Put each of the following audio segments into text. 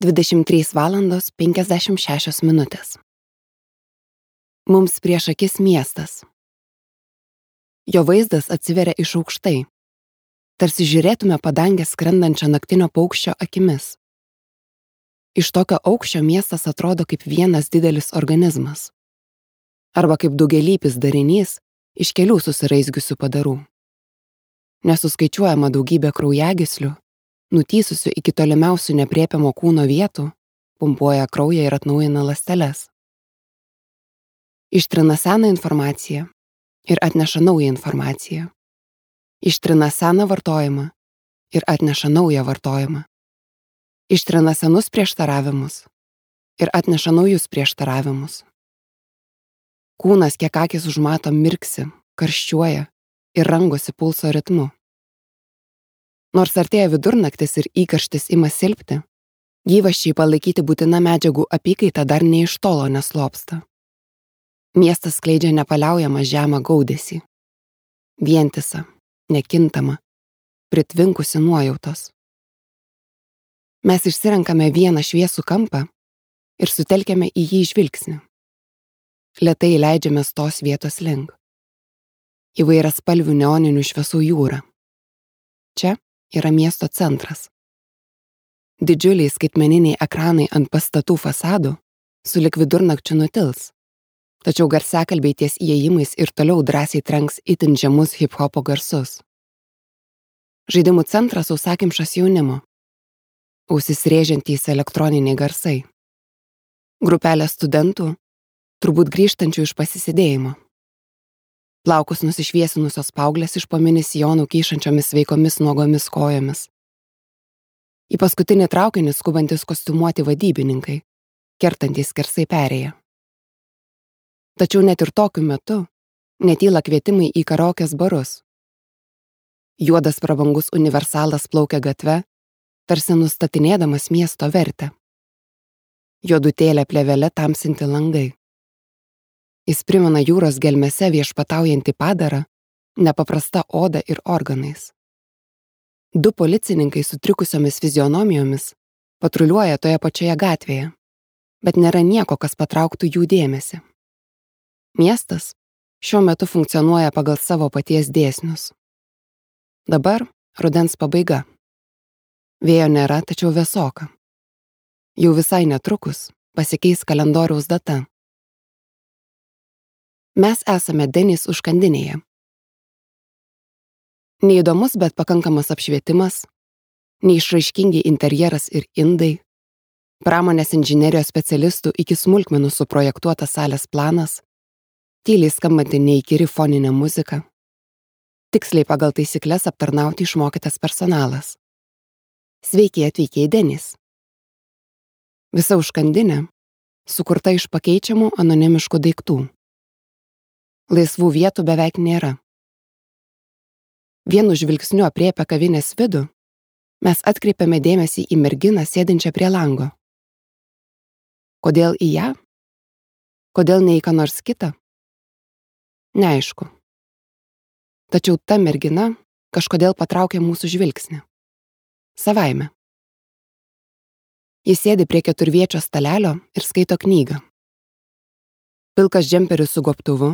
23:56. Mums prieš akis miestas. Jo vaizdas atsiveria iš aukštai, tarsi žiūrėtume padangę skrendančią naktinio paukščio akimis. Iš tokio aukščio miestas atrodo kaip vienas didelis organizmas. Arba kaip daugialypis darinys iš kelių susiraizgiusių padarų. Nesuskaičiuojama daugybė kraujagyslių, nutysusių iki tolimiausių nepriepiamo kūno vietų, pumpuoja kraują ir atnaujina ląsteles. Ištrina seną informaciją ir atneša naują informaciją. Ištrina seną vartojimą ir atneša naują vartojimą. Ištrina senus prieštaravimus ir atneša naujus prieštaravimus. Kūnas, kiek akis užmato, mirksi, karščiuoja ir rangosi pulso ritmu. Nors artėja vidurnaktis ir įkarštis ima silpti, gyvasčiai palaikyti būtina medžiagų apykaita dar ne iš tolo neslopsta. Miestas skleidžia nepaliaujamą žemą gaudesį. Vientisą, nekintamą, pritvinkusi nuojautos. Mes išsirenkame vieną šviesų kampą ir sutelkiame į jį žvilgsnį. Lėtai leidžiamės tos vietos link. Įvairiaspalvių neoninių šviesų jūra. Čia yra miesto centras. Didžiuliai skaitmeniniai ekranai ant pastatų fasadų sulig vidurnakčiu nutils, tačiau garsiakalbiai ties įėjimais ir toliau drąsiai trenks itin žemus hip-hopo garsus. Žaidimų centras sausakimšas jaunimo, ausis rėžiantys elektroniniai garsai. Grupelė studentų, turbūt grįžtančių iš pasisėdėjimo. Plaukus nusišviesinusios paauglės iš po mini sijonų kyšančiomis sveikomis nuogomis kojomis. Į paskutinį traukinį skubantis kostiumuoti vadybininkai, kertantys skersai perėję. Tačiau net ir tokiu metu netyla kvietimai į karaokės barus. Juodas prabangus universalas plaukia gatve, tarsi nustatinėdamas miesto vertę. Juodutėlė plėvelė tamsinti langai. Jis primena jūros gelmėse viešpataujantį padarą, nepaprasta oda ir organais. Du policininkai sutrikusiomis fizionomijomis patruliuoja toje pačioje gatvėje, bet nėra nieko, kas patrauktų jų dėmesį. Miestas šiuo metu funkcionuoja pagal savo paties dėsnius. Dabar rudens pabaiga. Vėjo nėra, tačiau vėsoka. Jau visai netrukus pasikeis kalendoriaus data. Mes esame Denis užkandinėje. Neįdomus, bet pakankamas apšvietimas, neišraiškingi interjeras ir indai, pramonės inžinerijos specialistų iki smulkmenų suprojektuotas salės planas, tyliai skambanti neįkyri foninė muzika, tiksliai pagal taisykles aptarnauti išmokytas personalas. Sveiki atvykę į Denis. Visa užkandinė sukurta iš pakeičiamų anonimiškų daiktų. Laisvų vietų beveik nėra. Vienu žvilgsniu aprėpę kavinės vidų, mes atkreipiame dėmesį į merginą sėdinčią prie lango. Kodėl į ją? Kodėl ne į ką nors kitą? Neaišku. Tačiau ta mergina kažkodėl patraukė mūsų žvilgsnį. Savaime. Jis sėdi prie keturviečio stalelio ir skaito knygą. Pilkas džemperis su gobtuvu,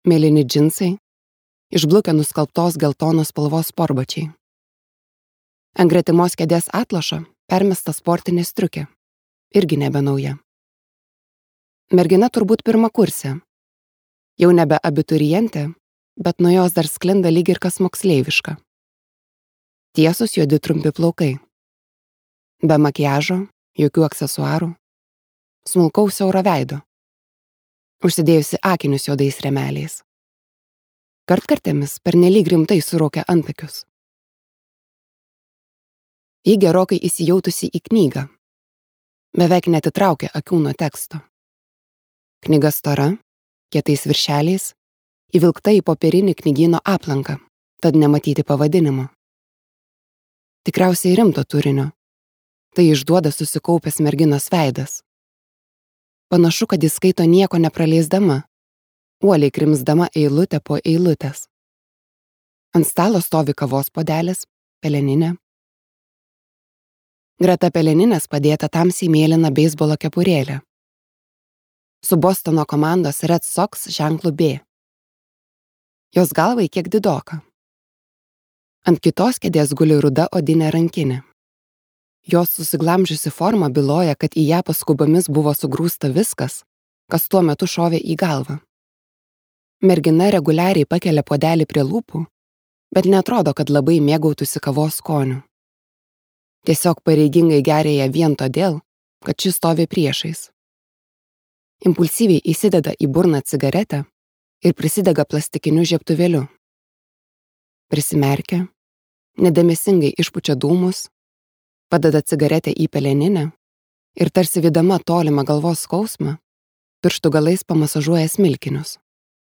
mėlyni džinsai, išblukę nuskalbtos geltonos spalvos sportbačiai. Ant gretimos kėdės atlošo permesta sportinė striukė, irgi nebenauja. Mergina turbūt pirmakursė, jau nebe abiturientė, bet nuo jos dar sklinda lyg ir kas moksleiviška. Tiesus juodi trumpi plaukai. Be makiažo, jokių aksesuarų, smulkaus siauro veido. Užsidėjusi akinius juodais rėmeliais. Kartkartėmis pernelyg rimtai suraukia antakius. Ji gerokai įsijautusi į knygą. Beveik netitraukia akių nuo teksto. Knyga stora, kietais viršeliais, įvilkta į popierinį knygyno aplanką, tad nematyti pavadinimo. Tikriausiai rimto turinio. Tai išduoda susikaupęs merginos veidas. Panašu, kad jis skaito nieko nepraleisdama, uoliai krimsdama eilutę po eilutės. Ant stalo stovi kavos puodelis, peleninė. Greta peleninės padėta tamsiai mėlyna beisbolo kepurėlė. Su Bostono komandos Red Sox ženklu B. Jos galvai kiek didoka. Ant kitos kėdės guli ruda odinė rankinė. Jos susiglamžiusi forma byloja, kad į ją paskubomis buvo sugrūsta viskas, kas tuo metu šovė į galvą. Mergina reguliariai pakelia puodelį prie lūpų, bet netrodo, kad labai mėgautųsi kavos skoniu. Tiesiog pareigingai geria ją vien todėl, kad ši stovi priešais. Impulsyviai įsideda į burną cigaretę ir prisidega plastikiniu žiebtuvėliu. Prisimerkia, nedėmesingai išpučia dūmus, padeda cigaretę į peleninę ir tarsi vidama tolimą galvos skausmą, pirštų galais pamasažuoja smilkinius.